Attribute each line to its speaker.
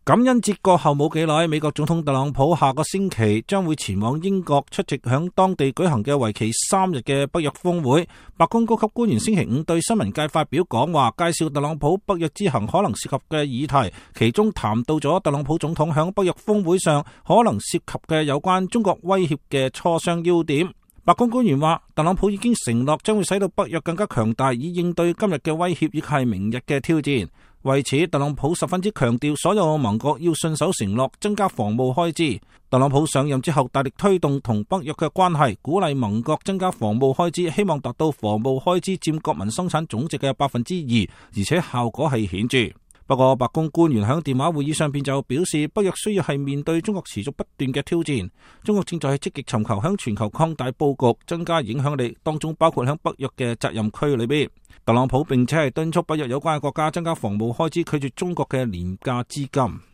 Speaker 1: 感恩節過後冇幾耐，美國總統特朗普下個星期將會前往英國出席響當地舉行嘅為期3日嘅北約峰會。白宮高級官員星期五對新聞界發表講話，介紹特朗普北約之行可能涉及嘅議題，其中談到咗特朗普總統響北約峰會上可能涉及嘅有關中國威脅嘅磋商要點。白宮官員話，特朗普已經承諾將會使到北約更加強大，以應對今日嘅威脅，亦係明日嘅挑戰。為此，特朗普十分之強調，所有盟國要信守承諾，增加防務開支。特朗普上任之後，大力推動同北約嘅關係，鼓勵盟國增加防務開支，希望達到防務開支佔國民生產總值嘅2%，而且效果係顯著。不過，白宮官員喺電話會議上邊就表示，北約需要係面對中國持續不斷嘅挑戰。中國正在積極尋求響全球擴大佈局，增加影響力，當中包括響北約嘅責任區裏邊。特朗普並且係敦促北約有關嘅國家增加防務開支，拒絕中國嘅廉價資金。